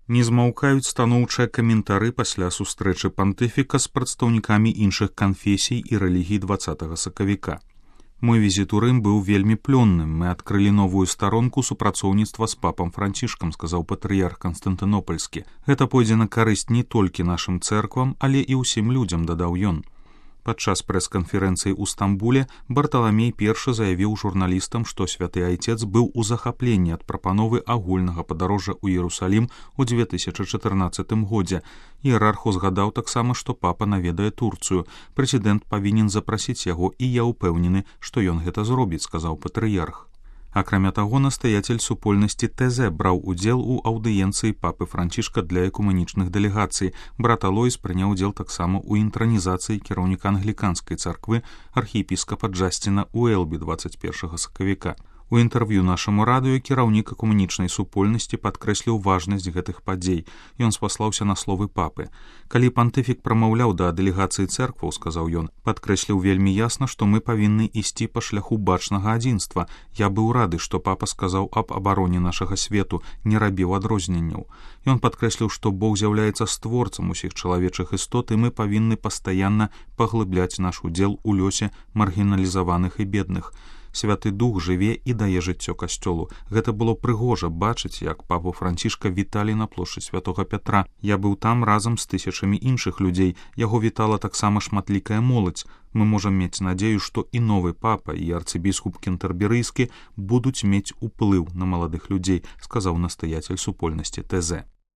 Не змаўкаюць станоўчыя каментары пасля сустрэчы пантыфіка з прадстаўнікамі іншых канфесій і рэлігій 20 сакавіка. Мой візіт у Рым быў вельмі плённым. Мы адкрылі новую старонку супрацоўніцтва з папам Францішкам, сказаў патрыярх Канстантынопальскі. Гэта пойдзе на карысць не толькі нашым цэрквам, але і ўсім людзям, дадаў ён. Падчас прэс-канферэнцыі ў Стамбуле Барталамей I заявіў журналістам, што святы айцец быў у захапленні ад прапановы агульнага падарожжа ў Іерусалім у 2014 годзе. Іерарх узгадаў таксама, што папа наведае Турцыю. Прэзідэнт павінен запрасіць яго, і я ўпэўнены, што ён гэта зробіць, сказаў патрыярх. Акрамя таго, настаятель супольнасці ТЗ браў удзел у аўдыенцыі папы Францішка для экумэнічных дэлегацый. Брат Алойс прыняў удзел таксама ў інтранізацыі кіраўніка англіканскай царквы архіепіскапа Джасціна Уэлбі 21 сакавіка. У інтэрв'ю нашаму радыё кіраўнік экумэнічнай супольнасці падкрэсліў важнасць гэтых падзей. Ён спаслаўся на словы папы. Калі пантыфік прамаўляў да дэлегацыі цэркваў, сказаў ён, падкрэсліў вельмі ясна, што мы павінны ісці па шляху бачнага адзінства. Я быў рады, што папа сказаў аб абароне нашага свету, не рабіў адрозненняў. Ён падкрэсліў, што Бог з'яўляецца створцам усіх чалавечых істот, і мы павінны пастаянна паглыбляць наш удзел у лёсе маргіналізаваных і бедных. Святы Дух жыве і дае жыццё касцёлу. Гэта было прыгожа бачыць, як папу Францішка віталі на плошчы святога Пятра. Я быў там разам з тысячамі іншых людзей. Яго вітала таксама шматлікая моладзь. Мы можам мець надзею, што і новы папа, і арцыбіскуп кентэрберыйскі будуць мець уплыў на маладых людзей, сказаў настаятель супольнасці ТЗ.